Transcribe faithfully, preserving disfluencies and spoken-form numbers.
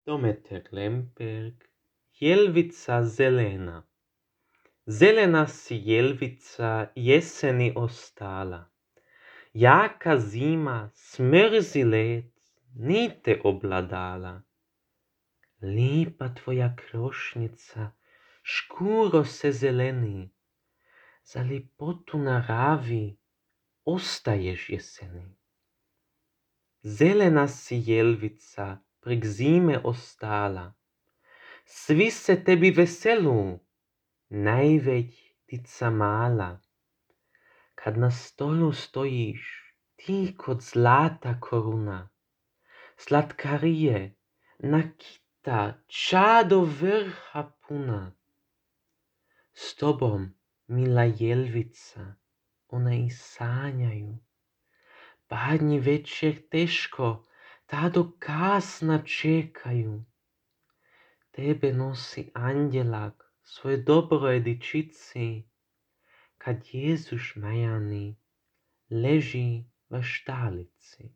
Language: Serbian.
Dometer Lemberg, Jelvica zelena. Zelena si jelvica jeseni ostala. Jaka zima, smrzi led, nije te obladala. Lipa tvoja krošnica, škuro se zeleni. Za lipotu na ravi ostaješ jeseni. Zelena si jelvica, prek zime ostala. Svi se tebi veselu, najveć ptica mala. Kad na stolu stojiš, ti kod zlata koruna, slatkarije, nakita, ča do vrha puna. S tobom, mila jelvica, ona i sanjaju. Badnji večer teško, ta do kasna čekaju. Tebe nosi anđelak svoje dobroj dičici, kad Jezus majani leži v štalici.